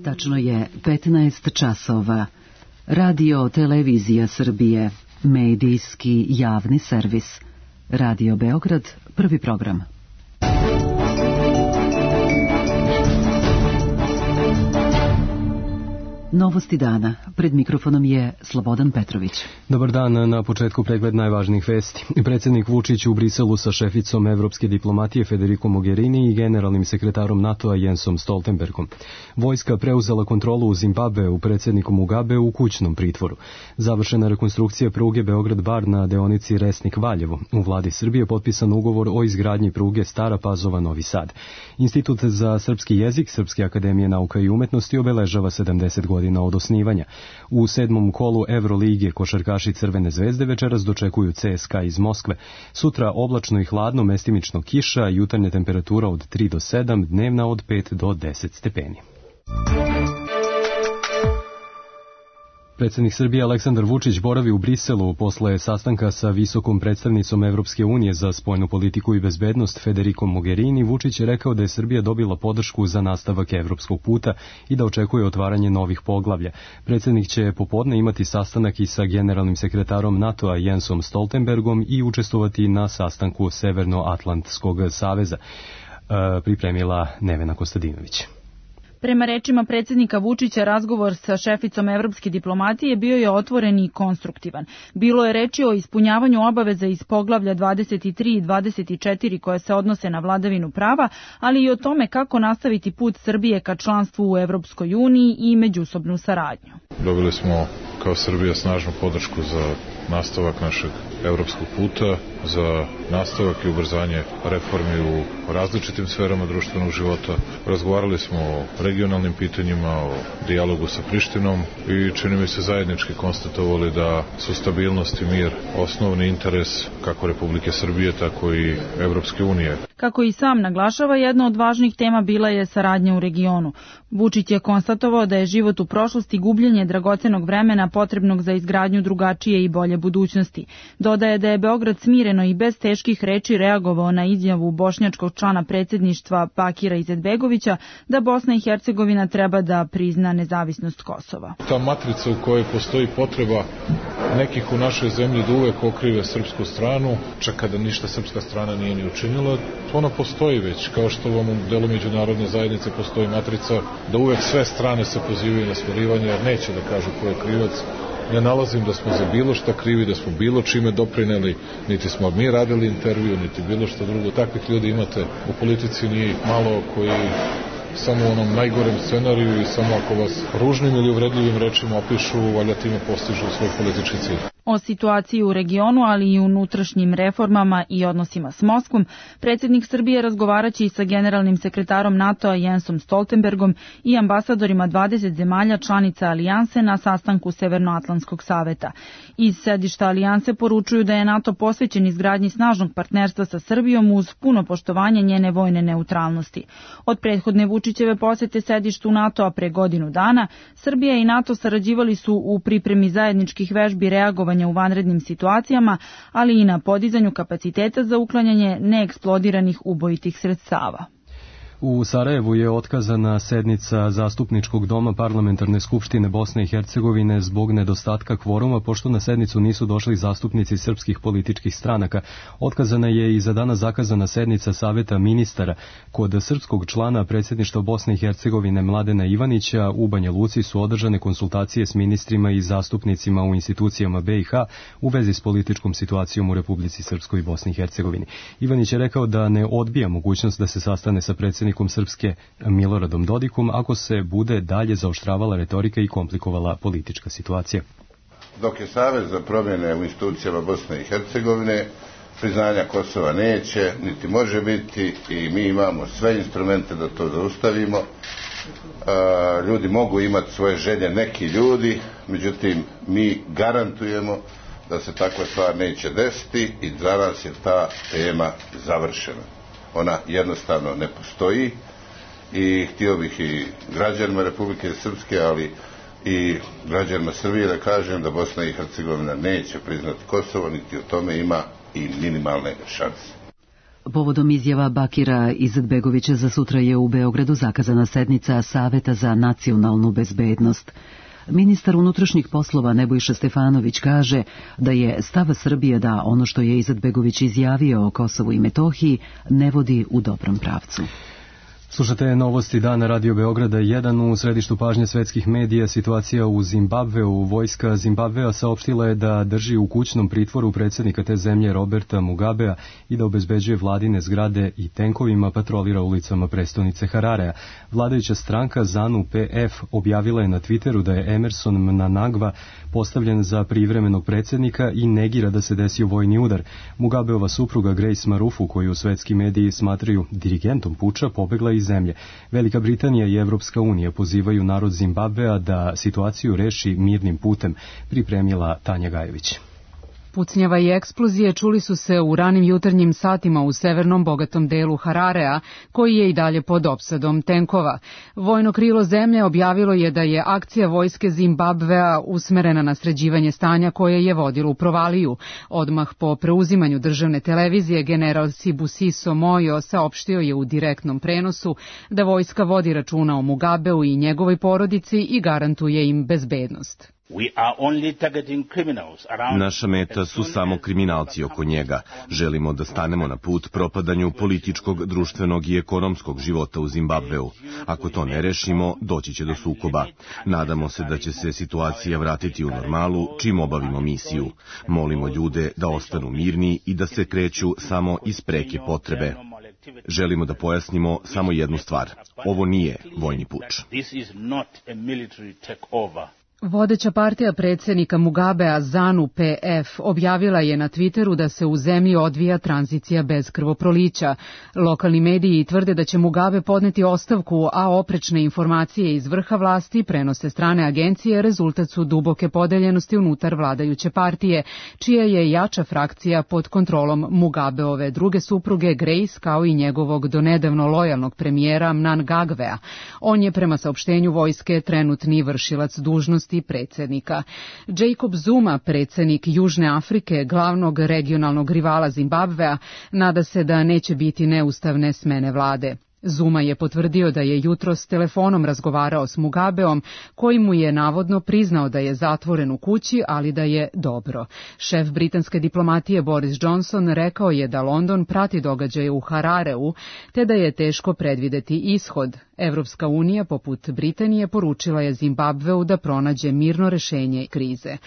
Tačno je 15 časova. Radio Televizija Srbije, medijski javni servis. Radio Beograd, prvi program. Novosti dana. Pred mikrofonom je Slobodan Petrović. Dobar dan, na početku pregled najvažnijih vesti. Predsjednik Vučić u Briselu sa šeficom evropske diplomatije Federico Mogherini i generalnim sekretarom NATO-a Jensom Stoltenbergom. Vojska preuzela kontrolu u Zimbabveu, predsjedniku Mugabe u kućnom pritvoru. Završena rekonstrukcija pruge Beograd-Bar na deonici Resnik-Valjevo. U vladi Srbije potpisan ugovor o izgradnji pruge Stara Pazova-Novi Sad. Institut za srpski jezik Srpske akademije nauka i umetnosti obeležava 70 godina od osnivanja. U 7. kolu Evrolige košarkaši Crvene zvezde večeras dočekuju CSKA iz Moskve. Sutra oblačno i hladno, mestimično kiša, jutarnja temperatura od 3 do 7, dnevna od 5 do 10 stepeni. Predsjednik Srbije Aleksandar Vučić boravi u Briselu posle sastanka sa visokom predstavnicom Evropske unije za spoljnu politiku i bezbednost Federico Mogherini. Vučić je rekao da je Srbija dobila podršku za nastavak evropskog puta i da očekuje otvaranje novih poglavlja. Predsjednik će popodne imati sastanak i sa generalnim sekretarom NATO-a Jensom Stoltenbergom i učestvovati na sastanku Severnoatlantskog saveza, pripremila Nevena Kostadinović. Prema rečima predsjednika Vučića, razgovor sa šeficom evropske diplomatije bio je otvoren i konstruktivan. Bilo je reči o ispunjavanju obaveza iz poglavlja 23 i 24 koje se odnose na vladavinu prava, ali i o tome kako nastaviti put Srbije ka članstvu u Evropskoj uniji i međusobnu saradnju. Dobili smo kao Srbija snažnu podršku za nastavak našeg evropskog puta, za nastavak i ubrzanje reformi u različitim sferama društvenog života. Razgovarali smo o regionalnim pitanjima, o dijalogu sa Prištinom i čini mi se zajednički konstatovali da su stabilnost i mir osnovni interes kako Republike Srbije, tako i Evropske unije. Kako i sam naglašava, jedna od važnih tema bila je saradnja u regionu. Vučić je konstatovao da je život u prošlosti gubljenje dragocenog vremena potrebnog za izgradnju drugačije i bolje budućnosti. Dodaje da je Beograd smireno i bez teških reči reagovao na izjavu bošnjačkog člana predsjedništva Bakira Izetbegovića da Bosna i Hercegovina treba da prizna nezavisnost Kosova. Ta matrica u kojoj postoji potreba nekih u našoj zemlji da uvek okrive srpsku stranu, čak kada ništa srpska strana nije ni učinila, ona postoji već, kao što u ovom delu međunarodne zajednice postoji matrica da uvek sve strane se pozivaju na smirivanje, jer neće da kažu ko je krivac. Ne nalazim da smo za bilo šta krivi, da smo bilo čime doprineli, niti smo mi radili intervju, niti bilo šta drugo. Takvih ljudi imate u politici, nije ih malo, koji samo u onom najgorem scenariju i samo ako vas ružnim ili uvredljivim rečima opišu, valjda time postižu svoj politički cilj. O situaciji u regionu, ali i unutrašnjim reformama i odnosima s Moskvom, predsjednik Srbije razgovaraće i sa generalnim sekretarom NATO-a Jensom Stoltenbergom i ambasadorima 20 zemalja članica alijanse na sastanku Severnoatlantskog saveta. Iz sedišta alijanse poručuju da je NATO posvećen izgradnji snažnog partnerstva sa Srbijom uz puno poštovanje njene vojne neutralnosti. Od prethodne Vučićeve posete sedištu NATO-a pre godinu dana, Srbija i NATO sarađivali su u pripremi zajedničkih vežbi reagovanja u vanrednim situacijama, ali i na podizanju kapaciteta za uklanjanje neeksplodiranih ubojitih sredstava. U Sarajevu je otkazana sednica Zastupničkog doma Parlamentarne skupštine Bosne i Hercegovine zbog nedostatka kvoruma, pošto na sednicu nisu došli zastupnici srpskih političkih stranaka. Otkazana je i za danas zakazana sednica Saveta ministara. Kod srpskog člana predsjedništva Bosne i Hercegovine Mladena Ivanića u Banja Luci su održane konsultacije s ministrima i zastupnicima u institucijama BiH u vezi s političkom situacijom u Republici Srpskoj i Bosni i Hercegovini. Ivanić je rekao da ne odbija mogućnost da se sastane sa predsjednikom Srpske Miloradom Dodikom ako se bude dalje zaoštravala retorika i komplikovala politička situacija. Dok je Savez za promjene u institucijama Bosne i Hercegovine, priznanja Kosova neće, niti može biti i mi imamo sve instrumente da to zaustavimo. Ljudi mogu imati svoje želje, neki ljudi, međutim mi garantujemo da se takva stvar neće desiti i za nas je ta tema završena. Ona jednostavno ne postoji i htio bih i građanima Republike Srpske, ali i građanima Srbije da kažem da Bosna i Hercegovina neće priznati Kosovo, niti o tome ima i minimalne šanse. Povodom izjava Bakira Izetbegovića za sutra je u Beogradu zakazana sednica Saveta za nacionalnu bezbednost. Ministar unutrašnjih poslova Nebojša Stefanović kaže da je stav Srbije da ono što je Izetbegović izjavio o Kosovu i Metohiji ne vodi u dobrom pravcu. Slušate novosti dana Radio Beograda 1. U središtu pažnje svetskih medija situacija u Zimbabveu. Vojska Zimbabvea saopštila je da drži u kućnom pritvoru predsjednika te zemlje Roberta Mugabea i da obezbeđuje vladine zgrade i tenkovima patrolira ulicama prestonice Hararea. Vladajuća stranka ZANU-PF objavila je na Twitteru da je Emerson Mnangagwa postavljen za privremenog predsjednika i negira da se desio vojni udar. Mugabeova supruga Grace Marufu, koju svetski mediji smatraju dirigentom puča, pobegla iz zemlje. Velika Britanija i Evropska unija pozivaju narod Zimbabvea da situaciju reši mirnim putem, pripremila Tanja Gajević. Pucnjava i eksplozije čuli su se u ranim jutarnjim satima u severnom bogatom delu Hararea, koji je i dalje pod opsadom tenkova. Vojno krilo zemlje objavilo je da je akcija vojske Zimbabvea usmerena na sređivanje stanja koje je vodilo u provaliju. Odmah po preuzimanju državne televizije general Sibusiso Moyo saopštio je u direktnom prenosu da vojska vodi računa o Mugabeu i njegovoj porodici i garantuje im bezbednost. Naša meta su samo kriminalci oko njega. Želimo da stanemo na put propadanju političkog, društvenog i ekonomskog života u Zimbabveu. Ako to ne rešimo, doći će do sukoba. Nadamo se da će se situacija vratiti u normalu čim obavimo misiju. Molimo ljude da ostanu mirni i da se kreću samo iz preke potrebe. Želimo da pojasnimo samo jednu stvar. Ovo nije vojni puč. Vodeća partija predsjednika Mugabea ZANU-PF objavila je na Twitteru da se u zemlji odvija tranzicija bez krvoprolića. Lokalni mediji tvrde da će Mugabe podneti ostavku, a oprečne informacije iz vrha vlasti prenose strane agencije rezultat su duboke podeljenosti unutar vladajuće partije, čija je jača frakcija pod kontrolom Mugabeove druge supruge Grace kao i njegovog donedavno lojalnog premijera Mnangagwea. On je prema saopštenju vojske trenutni vršilac dužnosti predsjednika. Jacob Zuma, predsjednik Južne Afrike, glavnog regionalnog rivala Zimbabvea, nada se da neće biti neustavne smene vlade. Zuma je potvrdio da je jutros telefonom razgovarao s Mugabeom, koji mu je navodno priznao da je zatvoren u kući, ali da je dobro. Šef britanske diplomatije Boris Johnson rekao je da London prati događaje u Harareu, te da je teško predvideti ishod. Evropska unija, poput Britanije, poručila je Zimbabveu da pronađe mirno rešenje krize.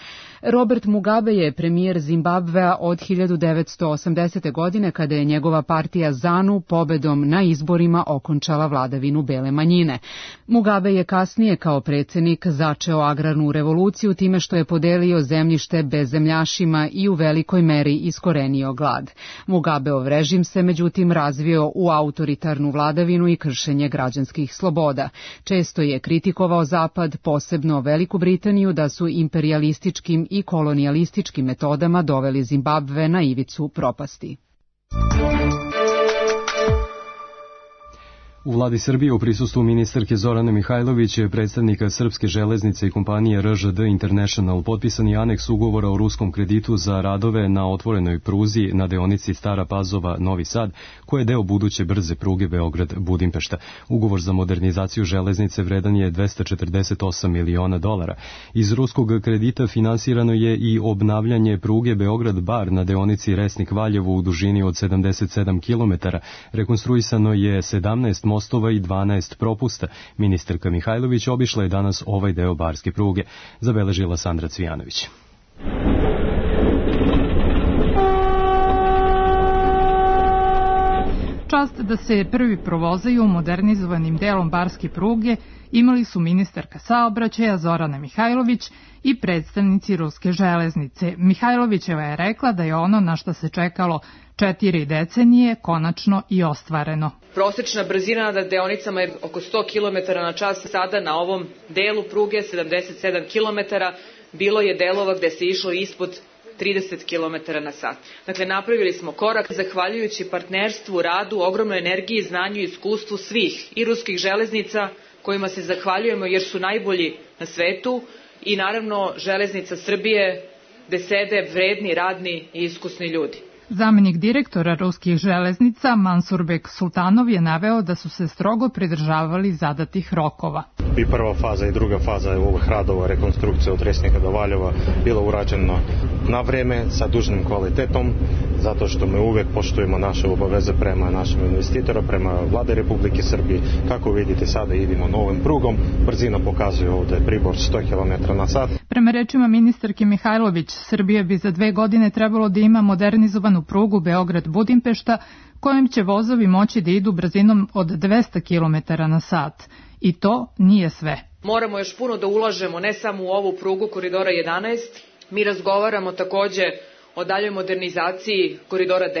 Robert Mugabe je premijer Zimbabvea od 1980. godine, kada je njegova partija ZANU pobedom na izborima okončala vladavinu bele manjine. Mugabe je kasnije kao predsjednik začeo agrarnu revoluciju time što je podelio zemljište bezzemljašima i u velikoj meri iskorenio glad. Mugabeov režim se međutim razvio u autoritarnu vladavinu i kršenje građanskih sloboda. Često je kritikovao Zapad, posebno Veliku Britaniju, da su imperijalističkim i kolonijalističkim metodama doveli Zimbabve na ivicu propasti. U vladi Srbije u prisustvu ministarke Zorane Mihajlović, predstavnika Srpske železnice i kompanije RŽD International potpisan je aneks ugovora o ruskom kreditu za radove na otvorenoj pruzi na deonici Stara Pazova-Novi Sad, koja je deo buduće brze pruge Beograd-Budimpešta. Ugovor za modernizaciju železnice vredan je $248 miliona. Iz ruskog kredita finansirano je i obnavljanje pruge Beograd-Bar na deonici Resnik-Valjevo u dužini od 77 km. Rekonstruisano je 17 mostova i 12 propusta. Ministarka Mihajlović obišla je danas ovaj deo barske pruge, zabeležila Sandra Cvijanović. Čast da se prvi provozaju modernizovanim delom barske pruge imali su ministarka saobraćaja Zorana Mihajlović i predstavnici ruske železnice. Mihajlovićeva je rekla da je ono na što se čekalo 4 decenije konačno i ostvareno. Prosečna brzina na deonicama je oko 100 km na čas, sada na ovom delu pruge 77 km, bilo je delova gde se išlo ispod 30 km na sat. Dakle, napravili smo korak zahvaljujući partnerstvu, radu, ogromnoj energiji, znanju i iskustvu svih i ruskih železnica, kojima se zahvaljujemo jer su najbolji na svetu, i naravno Železnica Srbije, gde sede vredni, radni i iskusni ljudi. Zamenik direktora ruskih železnica Mansurbek Sultanov je naveo da su se strogo pridržavali zadatih rokova. I prva faza i druga faza ovih radova rekonstrukcije od Resnika do Valjeva bilo urađeno na vreme sa dužnim kvalitetom, zato što mi uvek poštujemo naše obaveze prema našim investitoru, prema vlade Republike Srbije. Kako vidite, sada idemo novim prugom, brzina pokazuje ovde pribor 100 km na sat. Prema rečima ministarke Mihajlović, Srbija bi za 2 godine trebalo da ima modernizovanu prugu Beograd-Budimpešta, kojim će vozovi moći da idu brzinom od 200 km na sat. I to nije sve. Moramo još puno da ulažemo ne samo u ovu prugu Koridora 11, mi razgovaramo takođe o daljoj modernizaciji Koridora 10.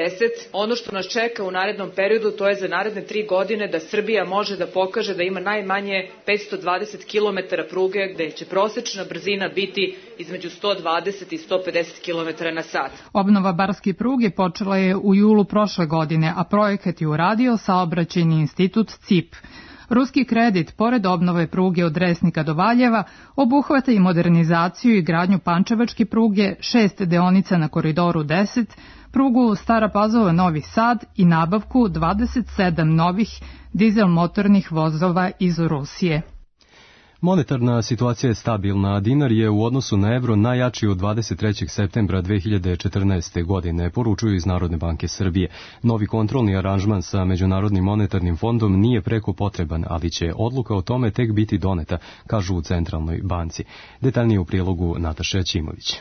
Ono što nas čeka u narednom periodu, to je za naredne 3 godine da Srbija može da pokaže da ima najmanje 520 km pruge, gde će prosečna brzina biti između 120 i 150 km na sat. Obnova barske pruge počela je u julu prošle godine, a projekat je uradio Saobraćajni institut CIP. Ruski kredit, pored obnove pruge od Resnika do Valjeva, obuhvata i modernizaciju i gradnju pančevačke pruge, 6 deonica na Koridoru 10, prugu Stara Pazova Novi Sad i nabavku 27 novih dizel motornih vozova iz Rusije. Monetarna situacija je stabilna, a dinar je u odnosu na evro najjači od 23. septembra 2014. godine, poručuju iz Narodne banke Srbije. Novi kontrolni aranžman sa Međunarodnim monetarnim fondom nije preko potreban, ali će odluka o tome tek biti doneta, kažu u Centralnoj banci. Detaljnije u prilogu Nataša Ćimović.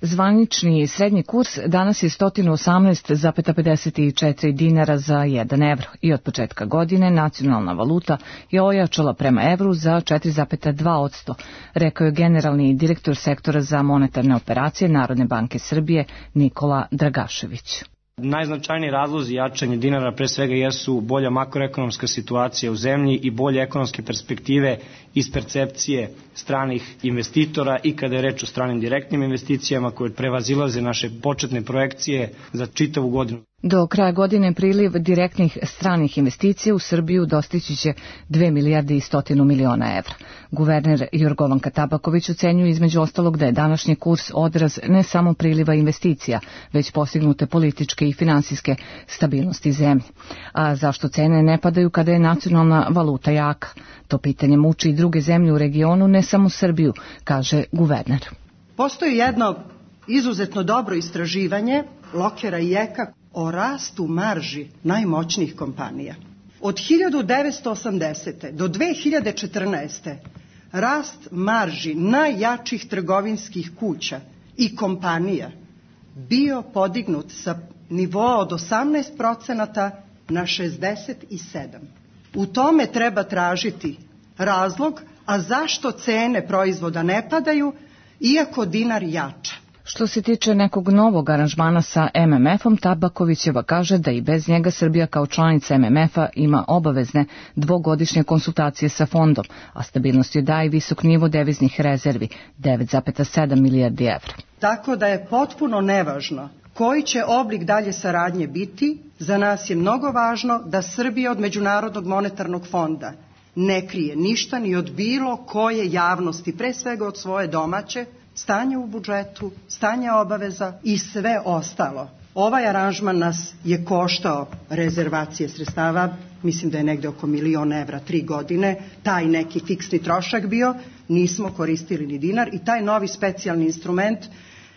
Zvanični srednji kurs danas je 118,54 dinara za 1 evro i od početka godine nacionalna valuta je ojačala prema evru za 4,2%, rekao je generalni direktor sektora za monetarne operacije Narodne banke Srbije Nikola Dragašević. Najznačajniji razlozi jačanja dinara pre svega jesu bolja makroekonomska situacija u zemlji i bolje ekonomske perspektive iz percepcije stranih investitora i kada je reč o stranim direktnim investicijama koje prevazilaze naše početne projekcije za čitavu godinu. Do kraja godine priliv direktnih stranih investicija u Srbiju dostići će 2 milijarde i 100 miliona evra. Guverner Jorgovanka Tabaković ocenjuje između ostalog da je današnji kurs odraz ne samo priliva investicija, već postignute političke i finansijske stabilnosti zemlje. A zašto cene ne padaju kada je nacionalna valuta jaka? To pitanje muči i druge zemlje u regionu, ne samo Srbiju, kaže guverner. Postoji jedno izuzetno dobro istraživanje Lokera i Eka o rastu marži najmoćnijih kompanija. Od 1980. do 2014. rast marži najjačih trgovinskih kuća i kompanija bio podignut sa nivoa od 18% na 67%. U tome treba tražiti razlog, a zašto cene proizvoda ne padaju, iako dinar jača. Što se tiče nekog novog aranžmana sa MMF-om, Tabakovićeva kaže da i bez njega Srbija kao članica MMF-a ima obavezne dvogodišnje konsultacije sa fondom, a stabilnost joj daje visok nivo deviznih rezervi, 9,7 milijardi evra. Tako da je potpuno nevažno koji će oblik dalje saradnje biti. Za nas je mnogo važno da Srbija od Međunarodnog monetarnog fonda ne krije ništa ni od bilo koje javnosti, pre svega od svoje domaće, stanje u budžetu, stanje obaveza i sve ostalo. Ovaj aranžman nas je koštao rezervacije sredstava, mislim da je negde oko 1 milion evra 3 godine, taj neki fiksni trošak bio, nismo koristili ni dinar i taj novi specijalni instrument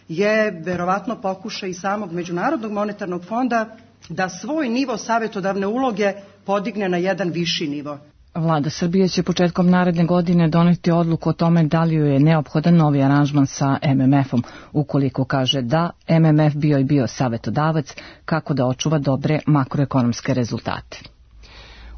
je verovatno pokušaj i samog Međunarodnog monetarnog fonda da svoj nivo savetodavne uloge podigne na jedan viši nivo. Vlada Srbije će početkom naredne godine doneti odluku o tome da li joj je neophodan novi aranžman sa MMF-om. Ukoliko kaže da, MMF bio savetodavac kako da očuva dobre makroekonomske rezultate.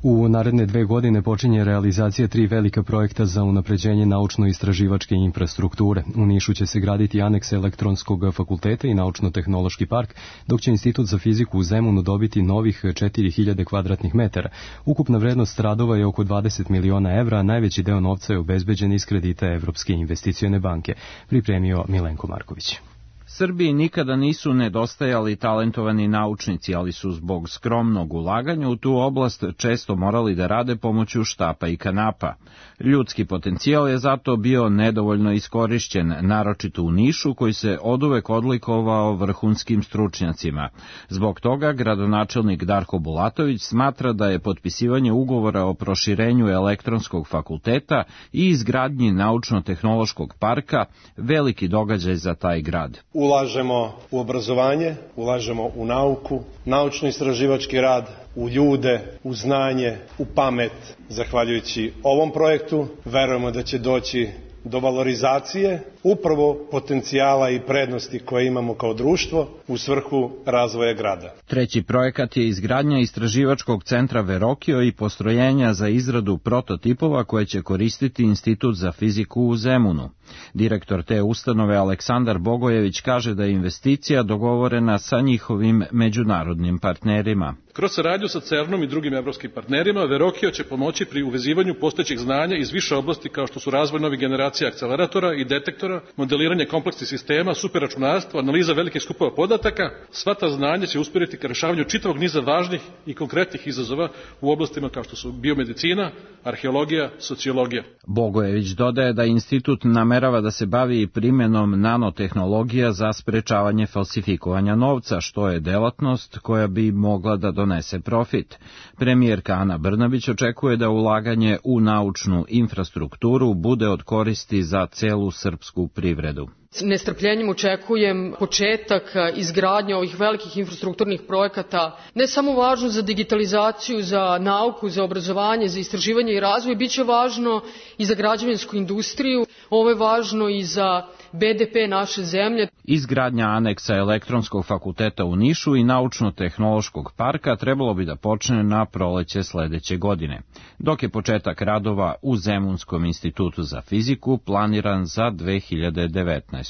U naredne 2 godine počinje realizacija 3 velika projekta za unapređenje naučno-istraživačke infrastrukture. U Nišu će se graditi aneks elektronskog fakulteta i naučno-tehnološki park, dok će Institut za fiziku u Zemunu dobiti novih 4000 kvadratnih metara. Ukupna vrednost radova je oko 20 miliona evra, a najveći deo novca je obezbeđen iz kredita Evropske investicione banke, pripremio Milenko Marković. Srbiji nikada nisu nedostajali talentovani naučnici, ali su zbog skromnog ulaganja u tu oblast često morali da rade pomoću štapa i kanapa. Ljudski potencijal je zato bio nedovoljno iskorišćen, naročito u Nišu koji se oduvek odlikovao vrhunskim stručnjacima. Zbog toga gradonačelnik Darko Bulatović smatra da je potpisivanje ugovora o proširenju elektronskog fakulteta i izgradnji naučno-tehnološkog parka veliki događaj za taj grad. Ulažemo u obrazovanje, ulažemo u nauku, naučno-istraživački rad, u ljude, u znanje, u pamet. Zahvaljujući ovom projektu verujemo da će doći do valorizacije upravo potencijala i prednosti koje imamo kao društvo u svrhu razvoja grada. Treći projekat je izgradnja istraživačkog centra Verokio i postrojenja za izradu prototipova koje će koristiti Institut za fiziku u Zemunu. Direktor te ustanove Aleksandar Bogojević kaže da je investicija dogovorena sa njihovim međunarodnim partnerima. Kroz saradnju sa CERN-om i drugim evropskim partnerima, Verokio će pomoći pri uvezivanju postojećih znanja iz više oblasti kao što su razvoj novih generacija akceleratora i detektora, modeliranje kompleksnih sistema, superračunarstvo, analiza velikih skupova podataka. Sva ta znanja će usmjeriti ka rešavanju čitavog niza važnih i konkretnih izazova u oblastima kao što su biomedicina, arheologija, sociologija. Bogojević dodaje da institut namerava da se bavi primjenom nanotehnologija za sprečavanje falsifikovanja novca, što je delatnost koja bi mogla da donese profit. Premijerka Ana Brnabić očekuje da ulaganje u naučnu infrastrukturu bude od koristi za celu srpsku privredu. Nestrpljenjem očekujem početak izgradnje ovih velikih infrastrukturnih projekata, ne samo važno za digitalizaciju, za nauku, za obrazovanje, za istraživanje i razvoj, bit će važno i za građevinsku industriju, ovo je važno i za BDP naše zemlje. Izgradnja aneksa elektronskog fakulteta u Nišu i naučno-tehnološkog parka trebalo bi da počne na proleće sledeće godine, dok je početak radova u Zemunskom institutu za fiziku planiran za 2019.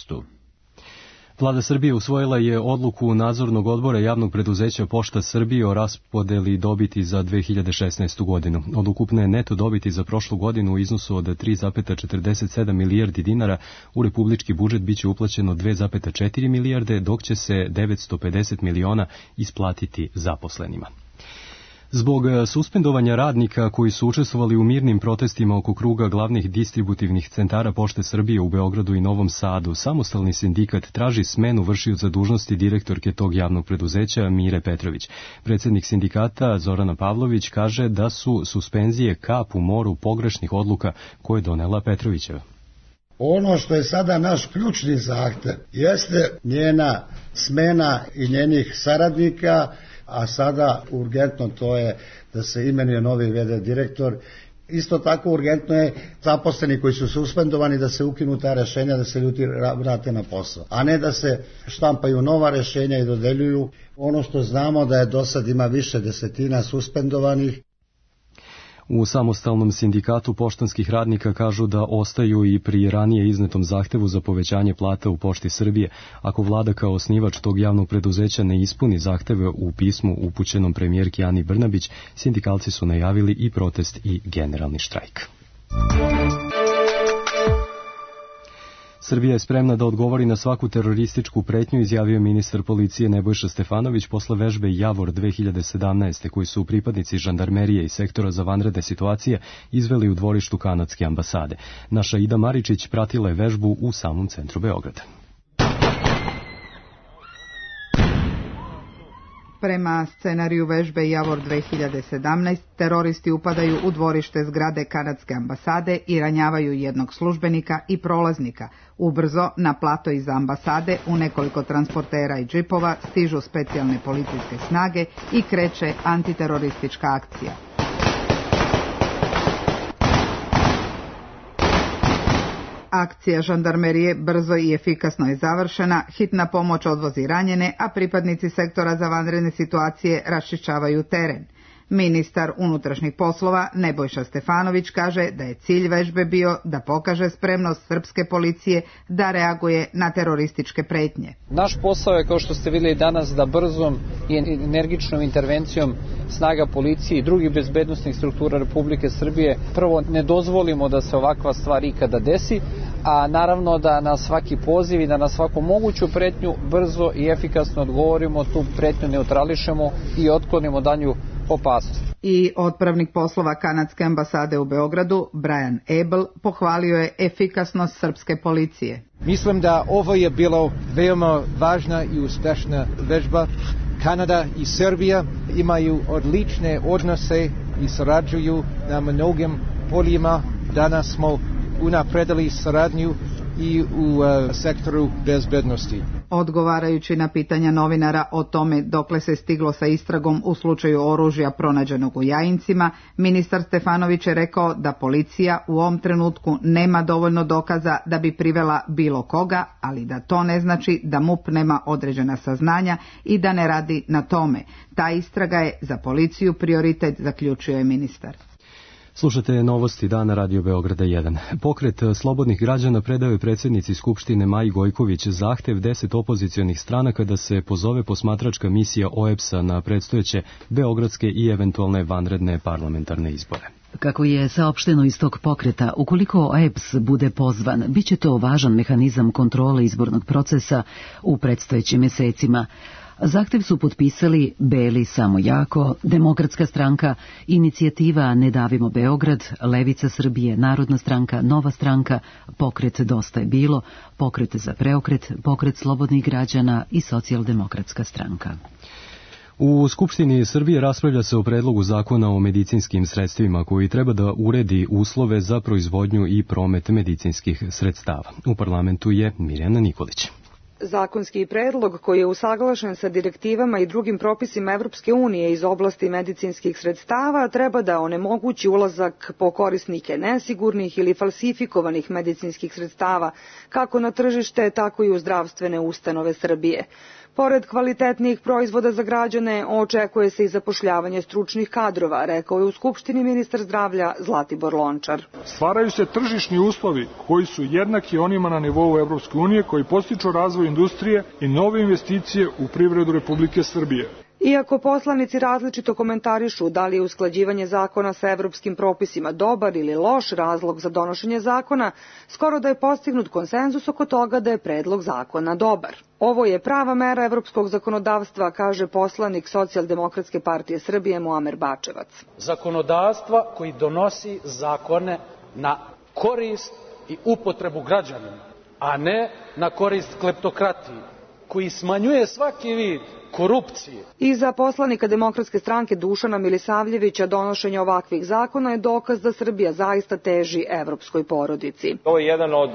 Vlada Srbije usvojila je odluku nadzornog odbora javnog preduzeća Pošta Srbije o raspodeli dobiti za 2016. godinu. Od ukupne neto dobiti za prošlu godinu u iznosu od 3,47 milijardi dinara u republički budžet biće uplaćeno 2,4 milijarde, dok će se 950 miliona isplatiti zaposlenima. Zbog suspendovanja radnika koji su učestvovali u mirnim protestima oko kruga glavnih distributivnih centara Pošte Srbije u Beogradu i Novom Sadu, samostalni sindikat traži smenu vršioca dužnosti direktorke tog javnog preduzeća Mire Petrović. Predsjednik sindikata Zorana Pavlović kaže da su suspenzije kap u moru pogrešnih odluka koje je donela Petrovićeva. Ono što je sada naš ključni zahtev jeste njena smena i njenih saradnika, a sada urgentno to je da se imenuje novi v.d. direktor. Isto tako urgentno je zaposleni koji su suspendovani da se ukinu ta rešenja, da se ljudi vrate na posao, a ne da se štampaju nova rešenja i dodeljuju. Ono što znamo da je do sad ima više desetina suspendovanih. U samostalnom sindikatu poštanskih radnika kažu da ostaju i pri ranije iznetom zahtevu za povećanje plata u Pošti Srbije. Ako vlada kao osnivač tog javnog preduzeća ne ispuni zahteve u pismu upućenom premijerki Ani Brnabić, sindikalci su najavili i protest i generalni štrajk. Srbija je spremna da odgovori na svaku terorističku pretnju, izjavio ministar policije Nebojša Stefanović posle vežbe Javor 2017. koji su pripadnici žandarmerije i sektora za vanredne situacije izveli u dvorištu kanadske ambasade. Naša Ida Maričić pratila je vežbu u samom centru Beograda. Prema scenariju vežbe Javor 2017, teroristi upadaju u dvorište zgrade kanadske ambasade i ranjavaju jednog službenika i prolaznika. Ubrzo na plato iza ambasade u nekoliko transportera i džipova stižu specijalne policijske snage i kreće antiteroristička akcija. Akcija žandarmerije brzo i efikasno je završena, hitna pomoć odvozi ranjene, a pripadnici sektora za vanredne situacije raščišćavaju teren. Ministar unutrašnjih poslova Nebojša Stefanović kaže da je cilj vežbe bio da pokaže spremnost srpske policije da reaguje na terorističke pretnje. Naš posao je, kao što ste vidjeli danas, da brzom i energičnom intervencijom snaga policije i drugih bezbednosnih struktura Republike Srbije prvo ne dozvolimo da se ovakva stvar ikada desi, a naravno da na svaki poziv i da na svaku moguću pretnju brzo i efikasno odgovorimo, tu pretnju neutrališemo i otklonimo danju opasnost. I otpravnik poslova kanadske ambasade u Beogradu, Brian Abel, pohvalio je efikasnost srpske policije. Mislim da ovo je bilo veoma važna i uspešna vežba. Kanada i Srbija imaju odlične odnose i sarađuju na mnogim poljima. Danas smo unapredili saradnju i u sektoru bezbednosti. Odgovarajući na pitanja novinara o tome dokle se stiglo sa istragom u slučaju oružja pronađenog u Jajincima, ministar Stefanović je rekao da policija u ovom trenutku nema dovoljno dokaza da bi privela bilo koga, ali da to ne znači da MUP nema određena saznanja i da ne radi na tome. Ta istraga je za policiju prioritet, zaključio je ministar. Slušate novosti dana Radio Beograda 1. Pokret slobodnih građana predao je predsjednici Skupštine Maji Gojković zahtev 10 opozicionih stranaka da se pozove posmatračka misija OEBS-a na predstojeće beogradske i eventualne vanredne parlamentarne izbore. Kako je saopšteno iz tog pokreta, ukoliko OEBS bude pozvan, bit će to važan mehanizam kontrole izbornog procesa u predstojećim mjesecima. Zahtev su potpisali Beli samo jako, Demokratska stranka, Inicijativa Ne davimo Beograd, Levica Srbije, Narodna stranka, Nova stranka, Pokret Dosta je bilo, Pokret za preokret, Pokret slobodnih građana i Socijaldemokratska stranka. U Skupštini Srbije raspravlja se o predlogu zakona o medicinskim sredstvima koji treba da uredi uslove za proizvodnju i promet medicinskih sredstava. U parlamentu je Mirjana Nikolić. Zakonski predlog koji je usaglašen sa direktivama i drugim propisima Evropske unije iz oblasti medicinskih sredstava treba da onemogući ulazak po korisnike nesigurnih ili falsifikovanih medicinskih sredstava kako na tržište, tako i u zdravstvene ustanove Srbije. Pored kvalitetnih proizvoda za građane, očekuje se i zapošljavanje stručnih kadrova, rekao je u Skupštini ministar zdravlja Zlatibor Lončar. Stvaraju se tržišni uslovi koji su jednaki onima na nivou Evropske unije koji podstiču razvoj industrije i nove investicije u privredu Republike Srbije. Iako poslanici različito komentarišu da li je usklađivanje zakona sa evropskim propisima dobar ili loš razlog za donošenje zakona, skoro da je postignut konsenzus oko toga da je predlog zakona dobar. Ovo je prava mera evropskog zakonodavstva, kaže poslanik Socijaldemokratske partije Srbije Muamer Bačevac. Zakonodavstva koji donosi zakone na korist i upotrebu građanima, a ne na korist kleptokratiji, koji smanjuje svaki vid korupcije. I za poslanika Demokratske stranke Dušana Milisavljevića donošenje ovakvih zakona je dokaz da Srbija zaista teži evropskoj porodici. Ovo je jedan od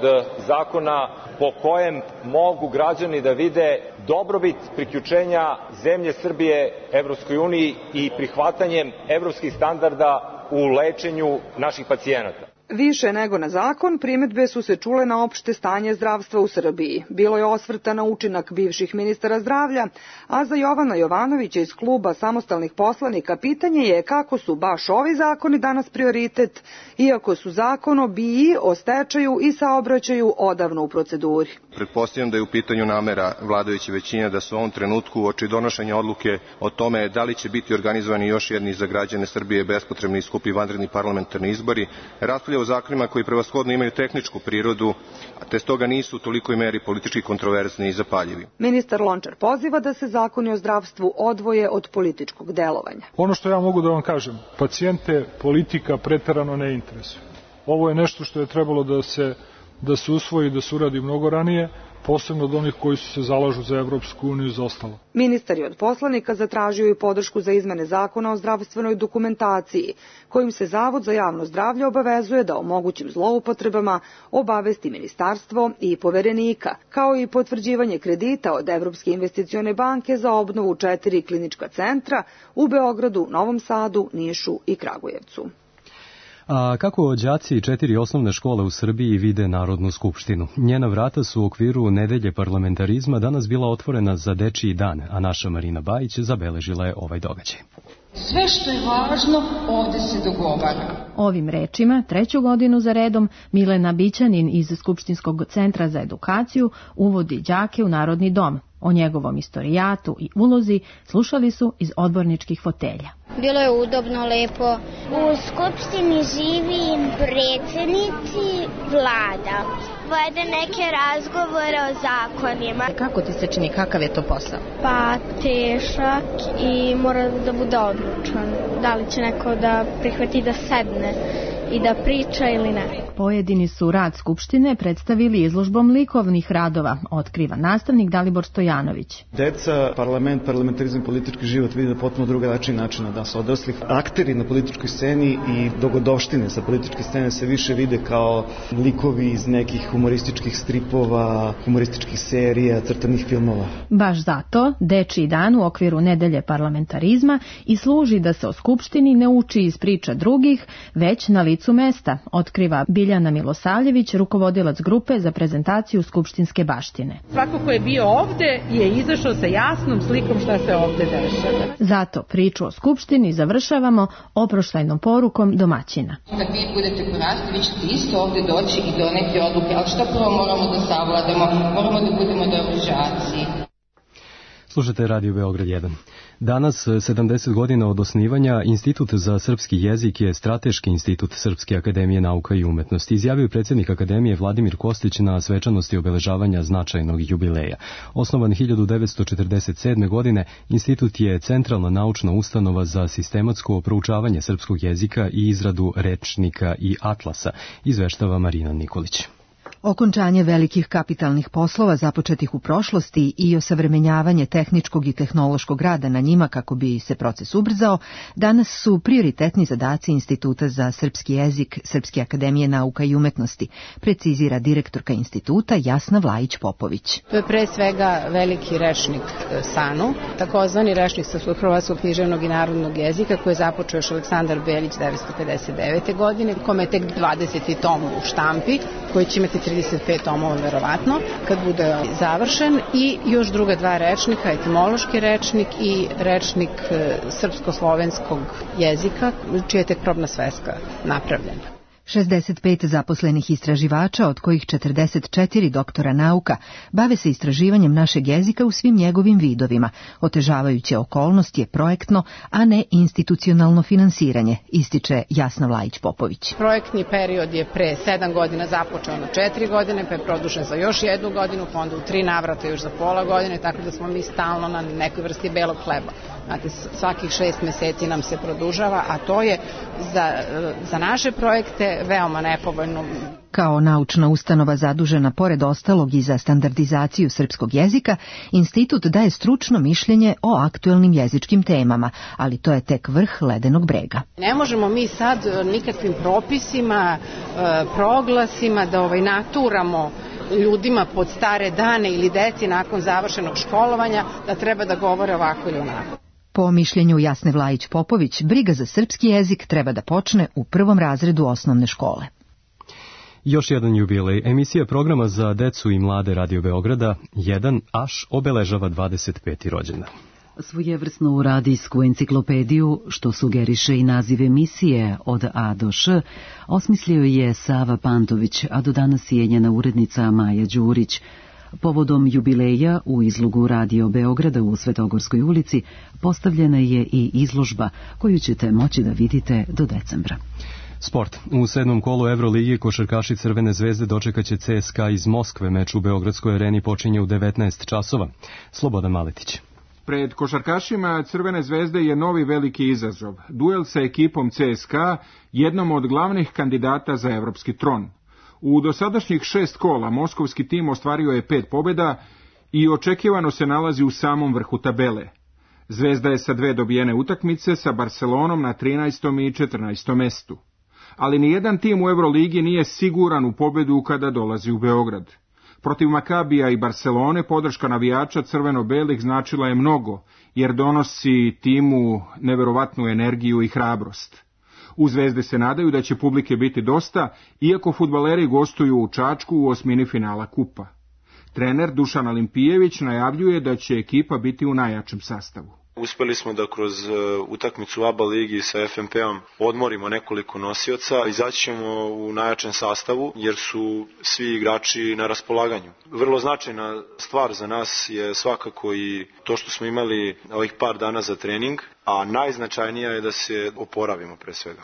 zakona po kojem mogu građani da vide dobrobit priključenja zemlje Srbije Evropskoj uniji i prihvatanjem evropskih standarda u lečenju naših pacijenata. Više nego na zakon, primedbe su se čule na opšte stanje zdravstva u Srbiji. Bilo je osvrta na učinak bivših ministara zdravlja, a za Jovana Jovanovića iz kluba samostalnih poslanika pitanje je kako su baš ovi zakoni danas prioritet, iako su zakon o BIA, o stečaju i saobraćaju odavno u proceduri. Pretpostavljam da je u pitanju namera vladajuće većine da se u ovom trenutku uoči donošenja odluke o tome da li će biti organizovani još jedni za građane Srbije bespotrebni i skupi vanredni parlamentarni izbori, raspravlja o zakonima koji prevashodno imaju tehničku prirodu, te stoga nisu u tolikoj meri politički kontroverzni i zapaljivi. Ministar Lončar poziva da se zakoni o zdravstvu odvoje od političkog delovanja. Ono što ja mogu da vam kažem, pacijente politika preterano ne interesuje. Ovo je nešto što je trebalo da se usvoji, da se uradi mnogo ranije, posebno od onih koji se zalažu za Evropsku uniju i za ostalo. Ministar je od poslanika zatražio i podršku za izmene zakona o zdravstvenoj dokumentaciji, kojim se Zavod za javno zdravlje obavezuje da o mogućim zloupotrebama obavesti ministarstvo i poverenika, kao i potvrđivanje kredita od Evropske investicione banke za obnovu 4 klinička centra u Beogradu, Novom Sadu, Nišu i Kragujevcu. A kako đaci 4 osnovne škole u Srbiji vide Narodnu skupštinu? Njena vrata su u okviru nedelje parlamentarizma danas bila otvorena za dečiji dan, a naša Marina Bajić zabeležila je ovaj događaj. Sve što je važno ovde se dogovara. Ovim rečima, 3. godinu za redom, Milena Bićanin iz Skupštinskog centra za edukaciju uvodi đake u Narodni dom. O njegovom istorijatu i ulozi slušali su iz odborničkih fotelja. Bilo je udobno, lepo. U Skupštini živi predsjednici vlada. vode neke razgovore o zakonima. Kako ti se čini, kakav je to posao? Pa težak i mora da bude odlučan. Da li će neko da prihvati da sedne i da priča ili ne. Pojedini su rad Skupštine predstavili izložbom likovnih radova, otkriva nastavnik Dalibor Stojanović. Deca, parlament, parlamentarizam, politički život vide na potpuno drugačiji način od nas odraslih. Akteri na političkoj sceni i dogodovštine sa političke scene se više vide kao likovi iz nekih humorističkih stripova, humorističkih serija, crtanih filmova. Baš zato Dečiji dan u okviru nedelje parlamentarizma i služi da se o Skupštini ne uči iz priča drugih, već na licu mesta, otkriva Biljana Milosavljević, rukovodilac grupe za prezentaciju skupštinske baštine. Svako ko je bio ovde je izašao sa jasnom slikom šta se ovde dešava. Zato priču o Skupštini završavamo oproštajnom porukom domaćina. Kad vi budete porasli, vi ćete isto ovde doći i doneti odluke, ali šta prvo moramo da savladamo? Moramo da budemo dobri đaci. Slušate Radio Beograd 1. Danas, 70 godina od osnivanja, Institut za srpski jezik je strateški institut Srpske akademije nauka i umetnosti. Izjavio predsjednik Akademije Vladimir Kostić na svečanosti obeležavanja značajnog jubileja. Osnovan 1947. godine, institut je centralna naučna ustanova za sistematsko proučavanje srpskog jezika i izradu rečnika i atlasa, izveštava Marina Nikolić. Okončanje velikih kapitalnih poslova započetih u prošlosti i osavremenjavanje tehničkog i tehnološkog rada na njima kako bi se proces ubrzao, danas su prioritetni zadaci Instituta za srpski jezik Srpske akademije nauka i umetnosti, precizira direktorka instituta Jasna Vlajić-Popović. To je pre svega veliki rečnik SANU, takozvani rečnik Srpskog hrvatskog književnog i narodnog jezika koji je započeo još Aleksandar Belić 1959. godine, kome je tek 20. tom u štampi, koji će imati 35 tomova verovatno, kad bude završen, i još druga dva rečnika, etimološki rečnik i rečnik srpsko-slovenskog jezika, čija je tek probna sveska napravljena. 65 zaposlenih istraživača, od kojih 44 doktora nauka, bave se istraživanjem našeg jezika u svim njegovim vidovima. Otežavajuća okolnost je projektno, a ne institucionalno finansiranje, ističe Jasna Vlajić-Popović. Projektni period je pre 7 godina započeo na 4 godine, pa je produžen za još 1 godinu, pa onda u 3 navrata još za pola godine, tako da smo mi stalno na nekoj vrsti belog hleba. Znate, svakih 6 meseci nam se produžava, a to je za naše projekte veoma nepovoljno. Kao naučna ustanova zadužena pored ostalog i za standardizaciju srpskog jezika, institut daje stručno mišljenje o aktuelnim jezičkim temama, ali to je tek vrh ledenog brega. Ne možemo mi sad nikakvim propisima, proglasima da naturamo ljudima pod stare dane ili deci nakon završenog školovanja da treba da govore ovako ili onako. Po mišljenju Jasne Vlajić-Popović, briga za srpski jezik treba da počne u 1. razredu osnovne škole. Još jedan jubilej. Emisija programa za decu i mlade Radio Beograda 1Aš obeležava 25. rođendan. Svojevrsnu radijsku enciklopediju, što sugeriše i naziv emisije od A do Š, osmislio je Sava Pantović, a do danas je njena urednica Maja Đurić. Povodom jubileja u izlogu Radio Beograda u Svetogorskoj ulici postavljena je i izložba koju ćete moći da vidite do decembra. Sport. U 7. kolu Euroligi košarkaši Crvene zvezde dočekaće CSKA iz Moskve. Meč u Beogradskoj areni počinje u 19 časova. Slobodan Maletić. Pred košarkašima Crvene zvezde je novi veliki izazov. Duel sa ekipom CSKA, jednom od glavnih kandidata za evropski tron. U dosadašnjih 6 kola moskovski tim ostvario je 5 pobjeda i očekivano se nalazi u samom vrhu tabele. Zvezda je sa 2 dobijene utakmice sa Barcelonom na 13. i 14. mestu. Ali nijedan tim u Euroligi nije siguran u pobjedu kada dolazi u Beograd. Protiv Makabija i Barcelone podrška navijača crveno-belih značila je mnogo, jer donosi timu neverovatnu energiju i hrabrost. U Zvezde se nadaju da će publike biti dosta, iako fudbaleri gostuju u Čačku u osmini finala kupa. Trener Dušan Alimpijević najavljuje da će ekipa biti u najjačem sastavu. Uspeli smo da kroz utakmicu ABA ligi sa FNP-om odmorimo nekoliko nosioca, izaći ćemo u najjačem sastavu jer su svi igrači na raspolaganju. Vrlo značajna stvar za nas je svakako i to što smo imali ovih par dana za trening, a najznačajnija je da se oporavimo pre svega.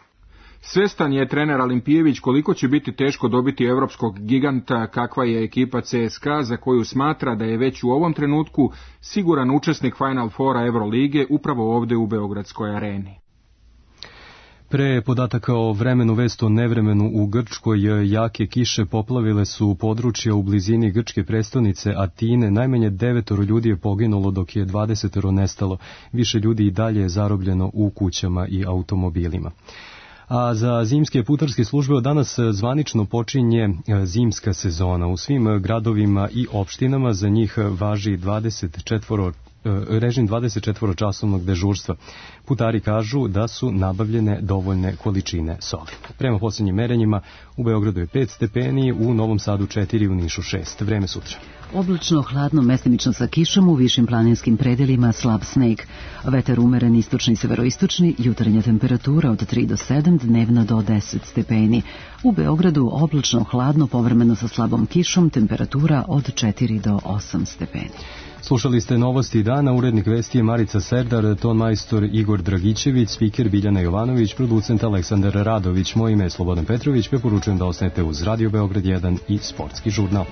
Svestan je trener Alimpijević koliko će biti teško dobiti evropskog giganta kakva je ekipa CSKA, za koju smatra da je već u ovom trenutku siguran učesnik Final Fora Evrolige upravo ovde u Beogradskoj areni. Pre podataka o vremenu, vest o nevremenu u Grčkoj. Jake kiše poplavile su područja u blizini grčke prestonice Atine. Najmanje 9 ljudi je poginulo, dok je 20 nestalo. Više ljudi i dalje je zarobljeno u kućama i automobilima. A za zimske putarske službe od danas zvanično počinje zimska sezona. U svim gradovima i opštinama za njih važi režim 24-časovnog dežurstva. Putari kažu da su nabavljene dovoljne količine soli. Prema posljednjim merenjima u Beogradu je 5 stepeni, u Novom Sadu 4, u Nišu 6. Vreme sutra. Oblačno, hladno, mestimično sa kišom, u višim planinskim predelima slab sneg. Vetar umeren istočni i severoistočni, jutarnja temperatura od 3 do 7, dnevna do 10 stepeni. U Beogradu oblačno, hladno, povremeno sa slabom kišom, temperatura od 4 do 8 stepeni. Slušali ste novosti dana, urednik vesti je Marica Serdar, ton majstor Igor Dragićević, spiker Biljana Jovanović, producent Aleksandar Radović, moje ime je Slobodan Petrović, preporučujem da ostanete uz Radio Beograd 1 i Sportski žurnal.